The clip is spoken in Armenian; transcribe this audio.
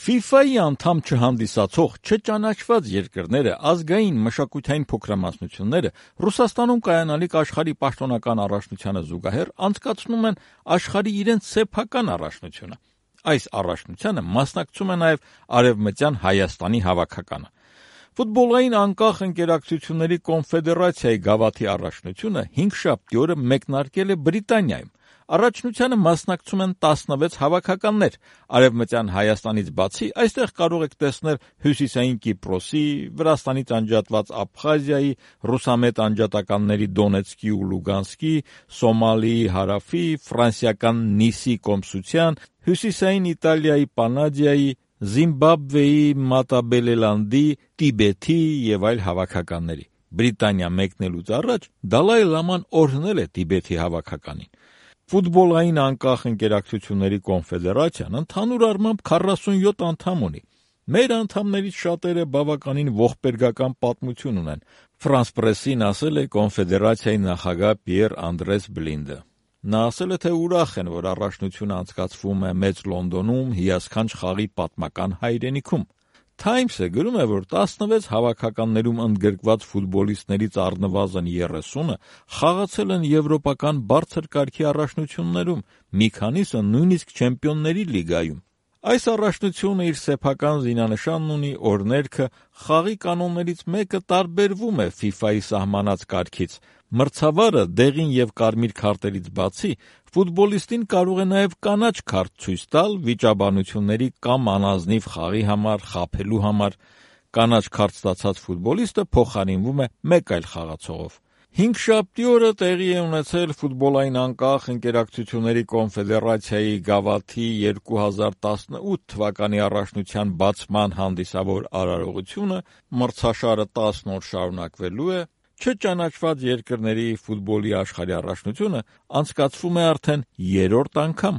FIFA-ի անդամ չհանդիսացող չճանաչված երկրները, ազգային մշակութային փոքրամասնությունները Ռուսաստանում կայանալիք աշխարհի պաշտոնական առաջնությանը զուգահեռ անցկացնում են աշխարհի իրենց սեփական առաջնությունը։ Այս առաջնությանը մասնակցում է նաև Արևմտյան Հայաստանի հավաքականը։ Ֆուտբոլային անկախ ընկերակցությունների կոնֆեդերացիայի գավաթի առաջնությունը 5-շաբթի օրը մեկնարկել է Բրիտանիայում։ Առաջնությանը մասնակցում են 16 հավաքականներ։ Արևմտյան Հայաստանից բացի այստեղ կարող եք տեսնել Հյուսիսային Կիպրոսի, Վրաստանից անջատված Աբխազիայի, ռուսամետ անջատականների Դոնեցկի ու Լուգանսկի, Սոմալիի հարավի, ֆրանսիական Նիսի կոմսության, Հյուսիսային Իտալիայի Պանադիայի, Զիմբաբվեի Մատաբելելանդի, Տիբեթի եւ այլ հավաքականների։ Բրիտանիա մեկնելուց առաջ Դալայ Լաման օրհնել է Տիբեթի հավաքականին։ Ֆուտբոլային անկախ ընկերակցությունների կոնֆեդերացիան ընդհանուր առմամբ 47 անդամ ունի։ Մեր անդամներից շատերը բավականին ողբերգական պատմություն ունեն։ Ֆրանս պրեսին ասել է կոնֆեդերացիայի նախագահ Պիեր Անդրես Բլինդը։ Նա ասել է, թե ուրախ են, որ առաջնությունը անցկացվում է Մեծ Լոնդոնում, հիասքանչ խաղի պատմական հայրենիքում։ Times-ը գրում է, որ 16 հավաքականներում ընդգրկված ֆուտբոլիստներից առնվազն 30-ը խաղացել են եվրոպական բարձր կարգի առաջնություններում, մի քանիսը նույնիսկ Չեմպիոնների լիգայում։ Այս առաջնությունը իր սեփական զինանշանն ունի, օրներքը, խաղի կանոններից մեկը տարբերվում է FIFA-ի սահմանած կարգից։ Մրցավարը դեղին եւ կարմիր քարտերից բացի ֆուտբոլիստին կարող է նաև կանաչ քարտ ցույց տալ վիճաբանությունների կամ անազնիվ խաղի համար, խաբելու համար։ Կանաչ քարտ ստացած ֆուտբոլիստը փոխարինվում է մեկ այլ խաղացողով։ 5-շաբթի օրը տեղի է ունեցել ֆուտբոլային անկախ ընկերակցությունների կոնֆեդերացիայի գավաթի 2018 թվականի առաջնության բացման հանդիսավոր արարողությունը, մրցաշարը 10 օր շարունակվելու է, չճանաչված երկրների ֆուտբոլի աշխարհի առաջնությունը անցկացվում է արդեն 3-րդ անգամ։